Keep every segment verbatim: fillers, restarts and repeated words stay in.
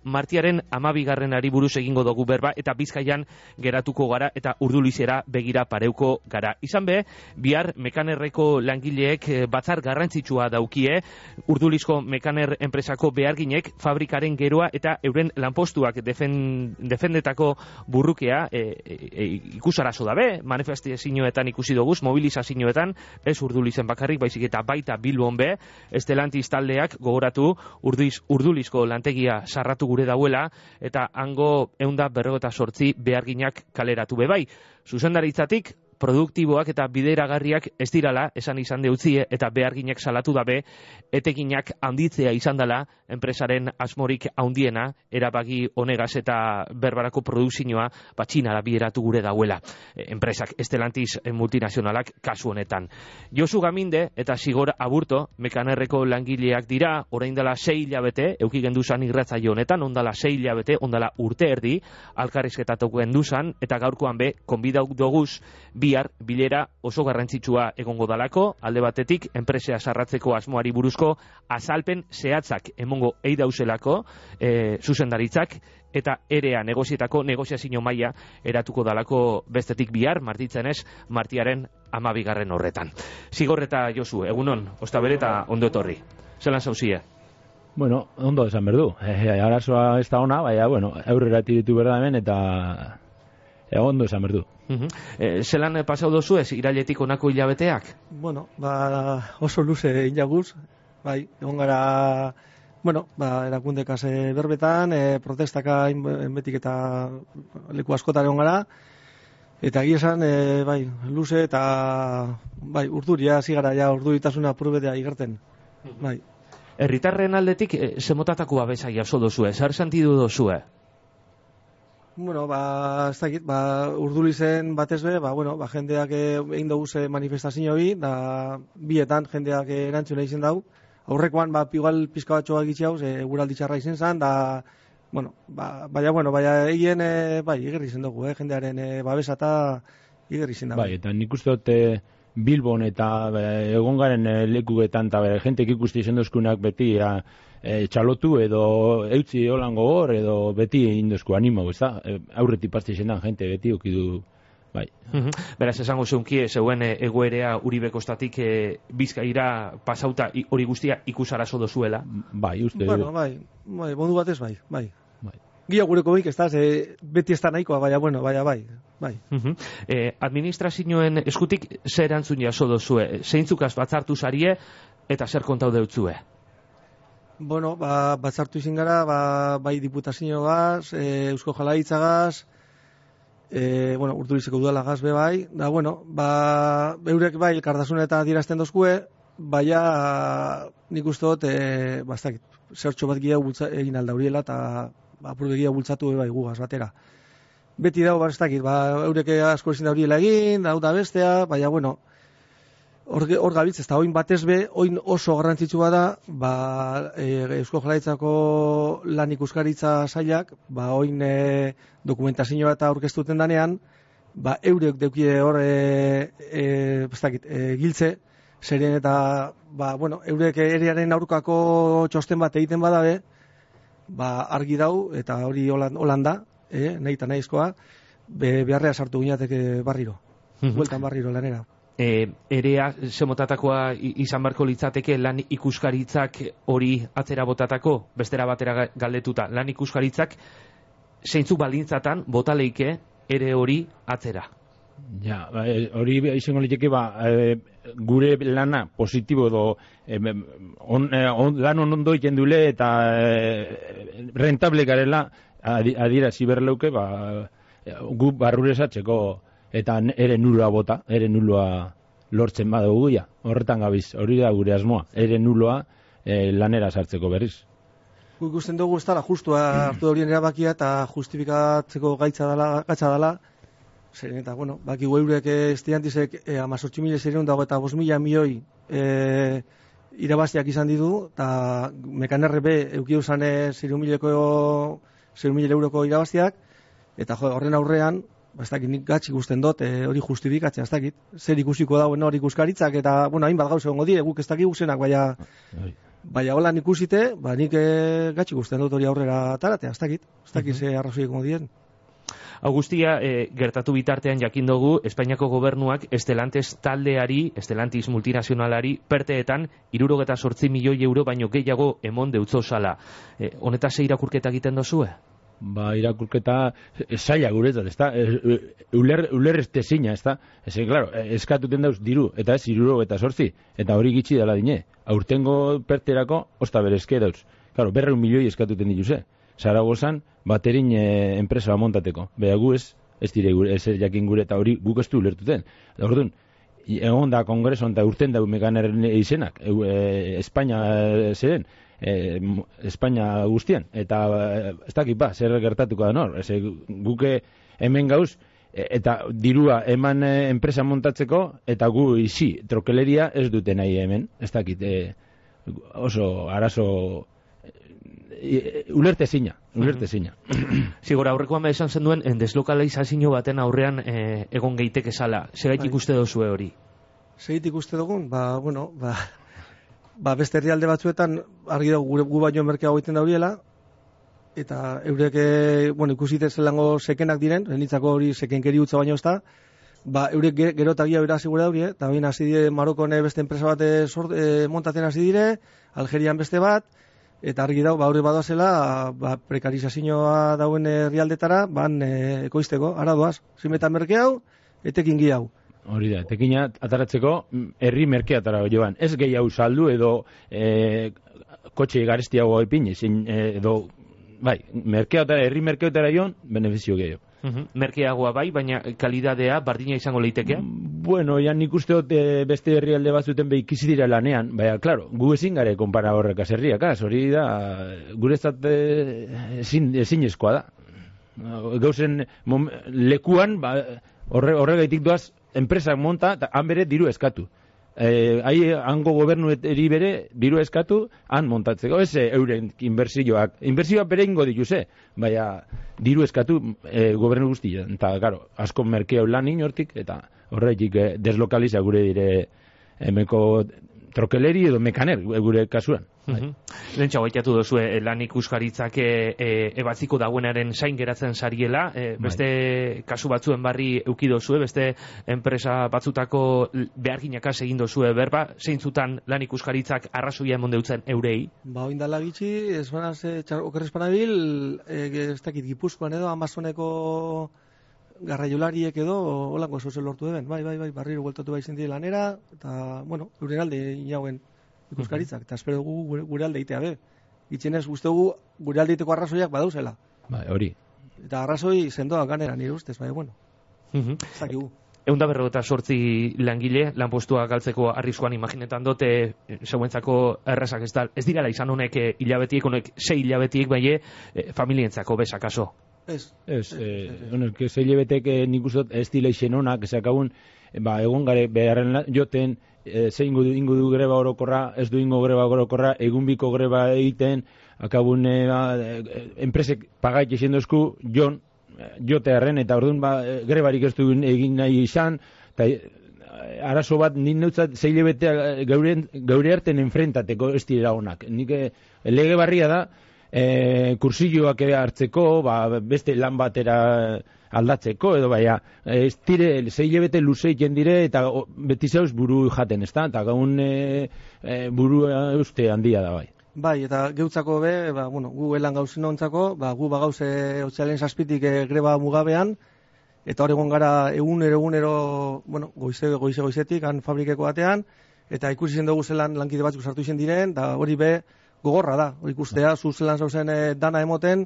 martiaren amabigarrenari buruz egingo dugu berba, eta Bizkaian geratuko gara, eta Urdulizera begira pareuko gara. Izan be, bihar Mekanerreko langileek batzar garrantzitsua daukie, Urdulizko Mekaner enpresako beharginek fabrikaren geroa eta euren lanpostuak defen, defendetako burrukea e, e, e, ikusarazo dabe, manifestazioetan ikusi doguz, mobilizazioetan, ez Urdulizen bakarrik, baizik eta baita Bilbon be, Estelantis taldeak gogoratu Urduliz, Urdulizko lantegia sarratu gure dauela, eta hango eunda berrogeta sortzi beharginak kaleratu be bai. Zuzendaritzatik, produktiboak eta bideragarriak ez dirala, esan izan deutzie, eta beharginak salatu dabe, etekinak handitzea izan dela, enpresaren asmorik handiena, erabagi honegaz eta berbarako produkzioa, batxinara bideratu gure dauela. Enpresak, Estelantis multinazionalak kasu honetan. Josu Gaminde eta Sigor Aburto, Mekanerreko langileak dira, orain dela sei hilabete, euki genduzan irratzaio honetan, ondala sei hilabete, ondala urte erdi, alkarrizketatuko genduzan, eta gaurkoan be, konbidauk doguz, bihar bilera oso garrantzitsua egongo dalako, alde batetik enpresea sarratzeko asmoari buruzko azalpen zehatzak emongo eidauzelako e, zuzendaritzak, eta erea negozietako negoziazio maila eratuko dalako bestetik bihar, martitzenez, martiaren amabigarren horretan. Sigor eta Josu, egunon, ostabere eta ondo etorri. Zelan zauzie? Bueno, ondo esan berdu. E, arazoa ez da ona, baina, bueno, aurrera ditu berda hemen, eta e, ondo esan berdu. Uh-huh. E, zelan pasau dozu ez, irailetik honako hilabeteak? Bueno, ba, oso luze hilaguz, bai, egon gara, bueno, ba, erakundekaz e, berbetan, e, protestaka enbetik eta leku askotan egon gara, eta egia esan, e, bai, luze eta, bai, urduria, zigara, ja, urduritasuna purbetea igerten, bai. Herritarren aldetik, e, zemotatako babesa jaso dozue, zer sentidu dozue? Bueno, ba, ez dakit, ba, Urdulizen batez be, ba, bueno, ba, jendeak egin dugu ze manifestazio bi, da, bietan jendeak erantzuna izen dau. Aurrekoan, ba, igual pizka batxoa gitxe hau, ze guraldi txarra izen zan, da, bueno, ba, baina, bueno, baina egin, e, bai, igerri izen dugu, eh, jendearen e, babesa eta igerri izen dugu. Bai, eta nik uste dut Bilbon eta e, egon garen e, lekuetan, eta e, jentek ikusti izen dozkunak beti, a, E, txalotu edo eutzi holango hor edo beti indozko animo, ez da? E, aurreti pasti zendan, jente beti okidu, bai. Uh-huh. Beraz, esango zeunkie, zeuen e, egoerea Uribekostatik e, Bizkaira pasauta hori guztia ikusarazo dozuela? Bai, uste bueno, du. Bai, bai, bondu batez bai, bai. bai. Gia gureko bik, ez da, ze, beti ez da nahikoa, baina, bueno, baina, bai, bai. Uh-huh. e, administrazioen eskutik zer erantzun jaso dozue? Zeintzukaz batzartu zarie eta zer kontau deutzue? Bueno, ba, batzartu izin gara, ba, bai diputazio gaz, e, Eusko Jaurlaritzagaz, e, bueno, Urdulizeko udala gaz be bai, da, bueno, ba, eurek bai elkartasuna eta adierazten dozkue, baina nik uste dut, e, bastakit, zertxo bat gira egin alda horiela, eta ba, apurge gira bultzatu bai gugaz batera. Beti dago, bastakit, ba, eurek asko ezin da horiela egin, da, da bestea, baina, bueno, Hor, hor gabiltz, ez da, oin batez be, oin oso garrantzitsua da, ba, e, Eusko Jaurlaritzako lan ikuskaritza sailak, ba, oin e, dokumentazioa eta aurkeztuten danean, ba, eurek deukie hor, e, e, bestakit, e, giltze, zerien eta, ba, bueno, eurek erearen aurkako txosten bat egiten badabe, ba, argi dau, eta hori holanda, e, nahi eta nahizkoa, be, beharrea sartu gineateke barriro, bueltan barriro lanera. E, erea zemotatakoa izan barko litzateke lan ikuskaritzak hori atzera botatako, bestera batera galdetuta, lan ikuskaritzak zeintzu balintzatan botaleike ere hori atzera? Ja, hori izango liteke ba, e, gure lana positibo edo e, on, on, lan ondo egiten dule eta e, rentable garela adierazi berleuke ba, gu barruresatzeko eta ere nuloa bota, ere nuloa lortzen badugu ja. Horretan gabiz, hori da gure asmoa, ere nuloa e, lanera sartzeko berriz. Gu ikusten dugu ez dala justua hartu horien erabakia eta justifikatzeko gaitza dala, gaitza dala. Zeren eta, bueno, baki eurek Estelantisek e, amazortzi mila zerreun dago eta bost mila milioi e, irabaziak izan ditu, eta Mekanerre be eukiu zan zerreun mila euroko irabaziak, eta jo, horren aurrean, ba, ez dakit, nik gatz ikusten dut, e, hori justifikatzea, ez dakit, zer ikusiko dauen hori ikuskaritzak, eta, bueno, hainbat gauza egongo die, guk ez dakik guzenak, baina, Baina holan ikusite, ba, nik e, gatxik usten dut hori aurrera ataratea, ez dakit, ez dakit ze arrazoiek modien. Augustia, e, gertatu bitartean jakin dugu, Espainiako gobernuak Estelantes taldeari, Estelantis multinazionalari, perteetan, hirurogeta zortzi milioi euro baino gehiago emon deutzo sala. E, honetaz ze irakurketa egiten dozue? Ba, irakurketa zaila guretzat, ez da? Uler, uler ez tezina, ez da? Ez, claro, eskatuten dauz diru, eta ez hirurogeta zortzi, eta hori gitxi dela dine. Aurtengo perterako, osta berezke dauz. Claro, berreun milioi eskatuten dituse. Zaragozan, baterin e, enpresa montateko. Beha gu ez, ez dire gure, ez jakin gure, eta hori guk ez du ulertuten. Da orduan, egon da kongreson eta urten da mekanerren izenak, e, Espainia e, zeren, e, Espainia guztian, eta e, ez dakit ba, zer gertatuko da nor, ez, guke hemen gauz, e, eta dirua eman e, enpresa montatzeko, eta gu izi, trokeleria ez dute nahi hemen, ez dakit, e, oso arazo ulerte zina, ulerte zina. Zigora, aurrekoan esan zen duen, deslokalizazio baten aurrean e, egon gehitek esala. Segaitik bai. Uste dozue hori? Segaitik uste dugun, ba, bueno, ba, ba beste herrialde batzuetan, argi dago, gure gu baino merkea goiten dauriela, eta eurek, bueno, ikusite zelango sekenak diren, zenitzako hori sekenkeri utza baino ez da, ba, eurek gero eta gira bera segura daurie, eta baina hasi dire Marokone beste enpresa bat e, montatzen hasi dire, Algerian beste bat, eta argi dago, ba, hori badoazela, ba, prekarizazioa dauen herrialdetara, ban e, ekoizteko, ara doaz, zimetan merke hau, etekin gi hau. Hori da, etekina ataratzeko herri merkeatara joan. Ez gehiago saldu edo e, kotxe garestiago epin, edo, bai, merkeatara, herri merkeatara joan, benefizio gehiago. Uh-huh. Merkeagoa bai, baina kalidadea bardina izango leiteke? Bueno, ya nik uste dut e, beste herrialde batzuten behikizi dira lanean, baina, klaro, gu ezin gare konpara horrekaz herriak, hori da, gurezat e, ezin, ezinezkoa da. Gauzen mom, lekuan, ba, horre, horregaitik doaz, enpresak monta, eta han bere diru eskatu. Eh, hai hango gobernueteri bere diru eskatu han montatzeko, ez euren inbertsioak inbertsioak bere ingo dituse, baina diru eskatu e, gobernu guztia, eta claro, asko merkeo lan inortik, eta horretik eh, deslokaliza gure dire emeko trokeleri edo mekaner gure kasuan. Uh-huh. Lentsa baitatu duzu e, lan ikuskaritzak e, e, ebatziko dagoenaren zain geratzen sariela, e, beste bai. Kasu batzuen barri euki dozue, beste enpresa batzutako beharginakaz egin dozue berba, zeintzutan lan ikuskaritzak arrazoia emon deutzen eurei? Ba, oindala gitxi, ez banaz, e, okerrezpanabil, e, ez dakit, Gipuzkoan edo, Amazoneko garraiolariek edo, holango zozen lortu eben, bai, bai, bai, barriro bueltatu bai zindi lanera, eta, bueno, euren alde inauen ikuskaritzak, eta espero dugu gure, gure alde itea be. Gitxenez, uste dugu gure alde iteko arrazoiak badauzela. Bai, hori. Eta arrazoi sendoa ganera nire ustez, bai, bueno. Uh-huh. Zakigu. Egun da berrogeta sortzi langile, lanpostua galtzeko arriskuan imaginetan dote, zeuentzako errazak ez da, ez dirala izan honek e, hilabetiek, honek sei hilabetiek, bai, e, familientzako bezakaso. Ez. Ez, honek, eh, sei hilabetek eh, nik uste ez dila izen honak, ezakabun, ba, egon gare beharren joten, e, ze ingo du, ingo du greba orokorra, ez du ingo greba orokorra, egun biko greba egiten, akabun e, ba, enpresek pagait esen dozku, jon, jote harren, eta orduan ba, grebarik ez du egin nahi izan, eta arazo bat, nik neutzat zei hilabetea gaure arten enfrentateko ez direla honak. Nik e, lege barria da, e, kursilloak hartzeko, ba, beste lan batera aldatzeko, edo baina, ez dire, zei hilabete luze egiten dire, eta o, beti zauz buru jaten, ez da? Eta gaun e, e, buru uste handia da bai. Bai, eta geutzako be, ba, bueno, gu elan gauzin ontzako, ba, gu bagauze otxalen zazpitik e, greba mugabean, eta hor egon gara egunero, egunero, bueno, goize, goize, goizetik, han fabrikeko batean, eta ikusi zen dugu zelan lankide batzuk sartu izen diren, da hori be gogorra da, hori ikustea, zu zelan zauzen e, dana emoten,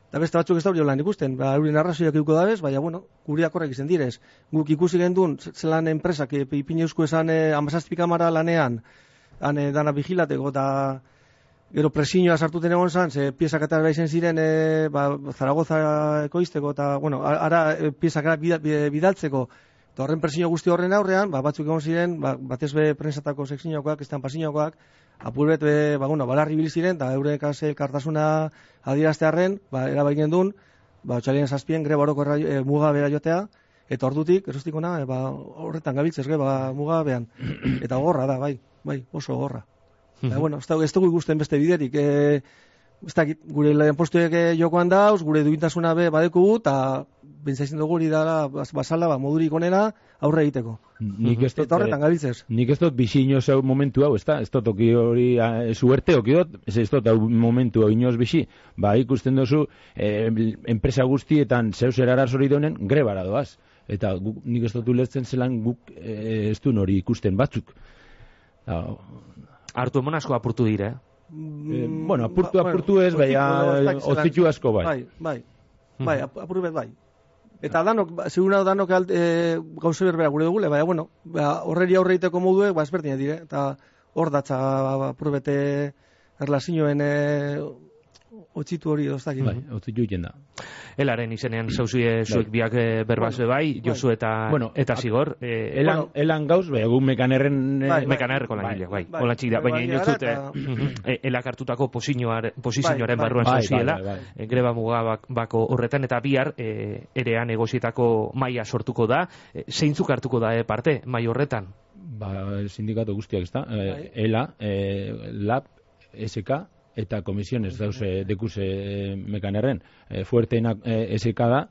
eta beste batzuk ez da hori lan ikusten, ba, eurien arrazoiak ikuko dabez, baina, bueno, guriak horrek izen direz. Guk ikusi gendun, zelan enpresak, e, ipin eusko esan e, amazazpi kamara lanean, han e, dana vigilateko, eta gero presioa sartuten egon zan, ze piezak eta izen ziren e, ba, Zaragoza ekoizteko, eta, bueno, ara e, piezak bidaltzeko, eta horren presio guzti horren aurrean, ba, batzuk egon ziren, ba, batez be prensatako sekzinoakoak, estampa-sinoakoak, apurbet, be, ba, bueno, balarri bil ziren, eta eurek elkartasuna adieraztearren, ba, erabaik duen, ba, otxalien zazpien greba horoko e, muga bera jotea, eta ordutik, erostikona, e, ba, horretan gabiltzez, ba, muga behan, eta gorra da, bai, bai, oso gorra. Eta, bueno, ez dugu ikusten beste biderik. E, ez dakit, gure lanpostuek jokoan dauz, gure duintasuna be badekugu, eta bentsatzen dugu hori dara basala, ba, modurik onena aurre egiteko. Nik ez dut, eta horretan gabiltzez. Nik ez dut bizi inoz hau momentu hau, ez da? Ez dut toki hori, suerte oki dut, ez ez dut hau momentu hau inoz bizi. Ba, ikusten duzu, eh, enpresa guztietan zeus eraraz hori donen, grebara doaz. Eta guk, nik ez dut ulertzen zelan guk eh, ez du hori ikusten batzuk. Da, hartu emon asko apurtu dire, eh? Eh, bueno, apurtu, apurtu ez, baina ozitu asko bai. Bai, bai, bai, apurtu bet bai. Eta danok, segura danok e, gauze berbera gure dugule, baina, bueno, ba, horreri aurre egiteko moduek, ba, ezberdinak dire, eta hor datza apur bete erlazioen e, otzitu hori doztak. Bai, otzitu egiten da. Elaren izenean zauzie zuek biak berbazue bai, Josu eta, bueno, eta Zigor. Eh, elan, bueno, elan gauz, bai, egun mekanerren... Bai, bai, mekanerreko langileak, bai, bai, hola txik da, baina bai, inotzute eta... elak hartutako posizioaren bai, barruan bai, zauziela, bai, bai, bai. greba muga bako horretan, eta bihar e, erean negozietako maila sortuko da, e, zeintzuk hartuko da e, parte, mai horretan? Ba, sindikato guztiak, ez da? E, ELA, e, LAB, S K, eta komisiones dauze dekuse mekanerren. E, fuerteena e, S K da,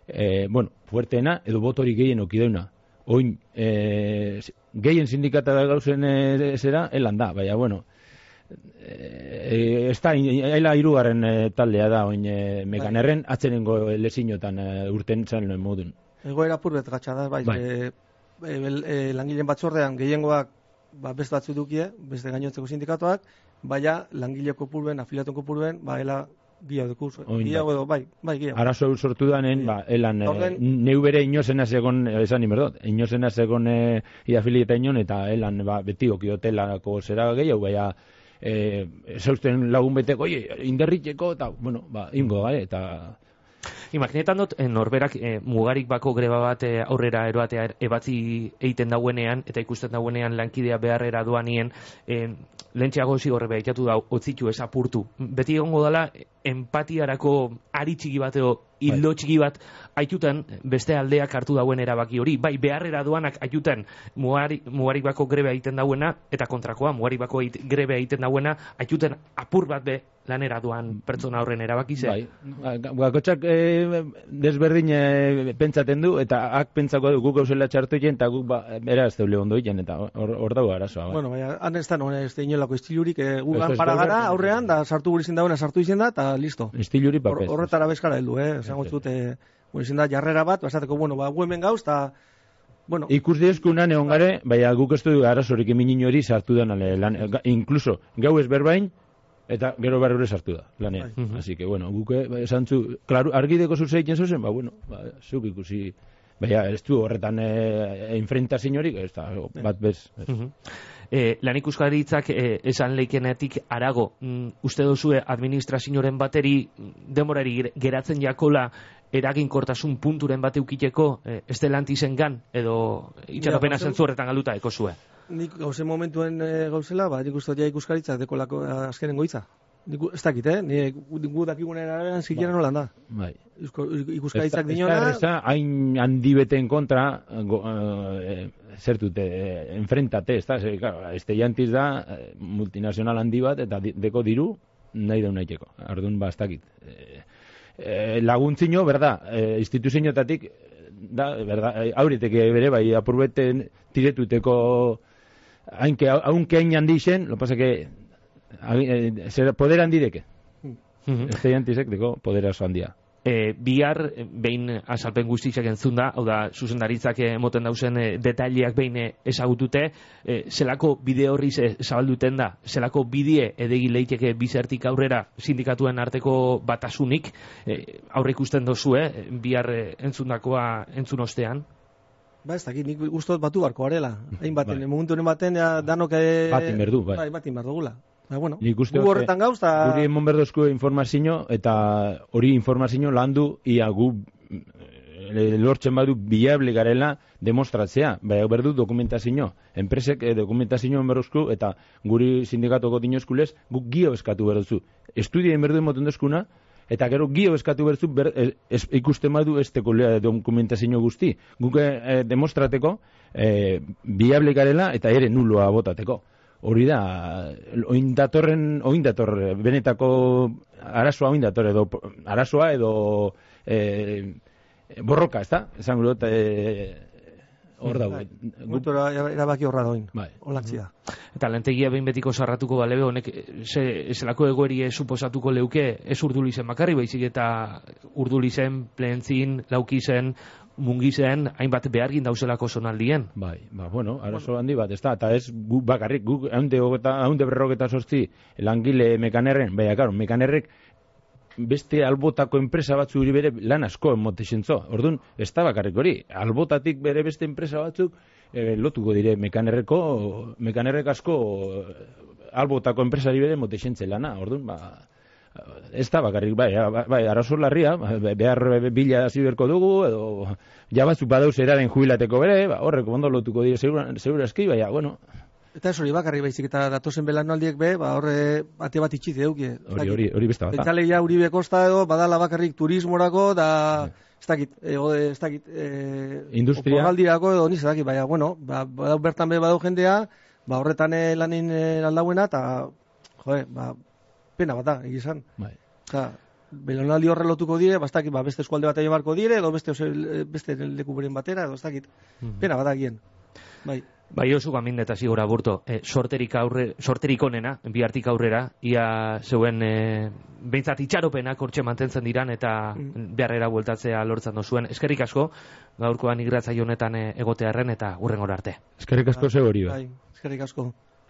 e, bueno, fuerteena edo botori gehien okideuna. Oin, e, gehien sindikata da gauzen e, zera, elan da, baina, bueno, e, ez da, ela irugarren e, taldea da, oin e, mekanerren, atzenengo lezinotan e, urten zan noen modun. Egoera purbet gatsa da, bai, bai. E, e, e, langileen batzordean gehiengoak ba, beste batzu dukie, beste gainotzeko sindikatuak, baina langile kopuruen, afiliatuen kopuruen, ba, ela gehiago duku, gehiago edo, bai, bai, gehiago. Arazo sortu danen, ba, elan, Orden... e, neu bere inozena zegon, esan inberdot, inozena zegon e, iafilieta inon, eta elan, ba, beti okiotelako zera gehiago, baina, e, zausten lagun beteko, oie, inderriteko, eta, bueno, ba, ingo, bai, eta... Imaginetan dut, eh, norberak eh, mugarik bako greba bat eh, aurrera eroatea ebatzi egiten dauenean, eta ikusten dauenean lankidea beharrera doanien, eh, lehentxeago zigorre behitatu dau, otzitu ez apurtu. Beti egongo dela, empatiarako ari txiki bateo, hildo txiki bat, aituten beste aldeak hartu dauen erabaki hori. Bai, beharrera doanak aituten mugarik, mugarik bako greba egiten dauena, eta kontrakoa, mugarik bako greba egiten dauena, aituten apur bat be lanera doan pertsona horren erabaki ze. Bai, gakotxak e, desberdin e, pentsaten du, eta ak pentsako du guk gauzela txartu egin, eta guk ba, era ez deule ondo egin, eta hor, hor dago arazoa. Bai. Bueno, baina, han ez da, non, ez da inolako estilurik, e, gugan para gara aurrean, da sartu gure izin dagoena sartu izin da, eta listo. Estiluri papez. Hor, horretara bezkara heldu, eh? Esango zute, gure izin da, jarrera bat, basateko, bueno, ba, gu hemen gauz, eta... Bueno, ikus diezkunan egon gare, baina guk ez du arazorik eminin hori sartu den, lan, incluso, gau ez berbain, eta gero barrure sartu da, lanean. Bai. Así que, bueno, guke, esan zu, claro, argideko zuzeitzen zuzen, ba, bueno, ba, zuk ikusi, baina ez du horretan e, enfrentazio horik, ez da, bat bez. bez. Uh -huh. eh, lan ikuskaritzak eh, esan leikenetik arago, mm, uste duzue administrazioaren bateri demorari geratzen jakola eraginkortasun punturen bat eukiteko eh, estelantizen gan, edo itxaropena zentzu horretan galduta eko zue? Nik gauzen momentuen e, gauzela, ba, nik uste ja ikuskaritzak dekolako azkenengo hitza. Nik ez dakit, eh? Nik gu dakigunen arabean zikiera nolan da. Bai. Ikuskaritzak dinona... Ez da, hain handi beten kontra, go, uh, zertute, eh, enfrentate, ez da, ze, claro, este jantiz da, multinazional handi bat, eta deko diru, nahi daun nahiteko. Ardun, ba, ez dakit. Eh, eh, laguntzino, berda, eh, instituzioetatik, da, berda, auriteke bere, bai, apurbeten tiretuteko... Aunque, aunque hain handi zen, lo pasa que eh, poder handi deke. Uh-huh. Este jantisek deko poder oso handia. E, bihar, behin azalpen guztiak entzun da, hau da, zuzendaritzak emoten dauzen e, detaileak behin ezagutute, e, zelako bide horri zabalduten da, zelako bidie edegi leiteke bizertik aurrera sindikatuen arteko batasunik, e, aurre ikusten dozu, eh, bihar e, entzundakoa entzun ostean? Ba, ez dakit, nik guztot batu barko garela. Hain baten, bai. Momentu honen baten, ja, danok... E... Batin berdu, bai. Bai, batin berdugula. Ba, bueno, gu horretan gauz, eta... Guri emon berdozko informazio, eta hori informazio landu, ia gu e, lortzen badu biable garela demostratzea. Bai, berdu dokumentazio. Enpresek e, dokumentazio berrozko, eta guri sindikatoko dinozkulez, guk gio eskatu berdozu. Estudien berdu emoten dozkuna, eta gero gio eskatu berzu ber, es, ikusten badu ez teko dokumentazio guzti. Guk e, demostrateko e, biable garela eta ere nuloa botateko. hori da, oin datorren, oin dator, benetako arazoa oin dator, edo arazoa edo e, borroka, ez da? Esan gure dut, e, hor dago. Gutora erabaki horra doin, bai. Olantzia. Eta lantegia behin betiko sarratuko balebe, honek ze, zelako egoerie suposatuko leuke, ez urdulizen bakarri, baizik eta urdulizen, plentzin, laukizen, mungizen, hainbat behargin dauzelako zonaldien. Bai, ba, bueno, arazo handi bat, ez da, eta ez gu bakarrik, guk haunde berrogeta sortzi langile mekanerren, baina, karo, mekanerrek beste albotako enpresa batzu hori bere lan asko emote zentzo. Orduan, ez da bakarrik hori. Albotatik bere beste enpresa batzuk e, lotuko dire mekanerreko, mekanerrek asko albotako enpresari bere emote zentze lana. Orduan, ba, ez da bakarrik, bai, bai, arazo larria, behar bila hasi berko dugu, edo ja batzuk badauz eraren jubilateko bere, ba, horrek ondo lotuko dire segurazki, baina, bueno. Eta ez hori bakarri baizik eta datozen belanaldiek be, ba horre ate bat itxit eduki. Hori hori hori beste bat. Bentzaleia Uribe Kosta edo badala bakarrik turismorako da ez dakit, ez dakit, eh industria oporraldirako edo ni ez dakit, baina bueno, ba badau bertan be badau jendea, ba horretan lanin aldauena ta joe, ba pena bat da, egizan. Bai. Osea, belanaldi horre lotuko dire, ba ez dakit, ba beste eskualde batera barko dire edo beste beste leku beren batera edo ez dakit. Pena bat da gien. Bai. Bai, oso gamin eta zigora burto, e, sorterik, aurre, sorterik onena, bihartik aurrera, ia zeuen e, behintzat itxaropenak hortxe mantentzen diran eta mm. beharrera bueltatzea lortzen dozuen. Eskerrik asko, gaurkoan igratzaio honetan e, egotearren eta hurrengora arte. Eskerrik asko zeu hori. Bai, eskerrik asko.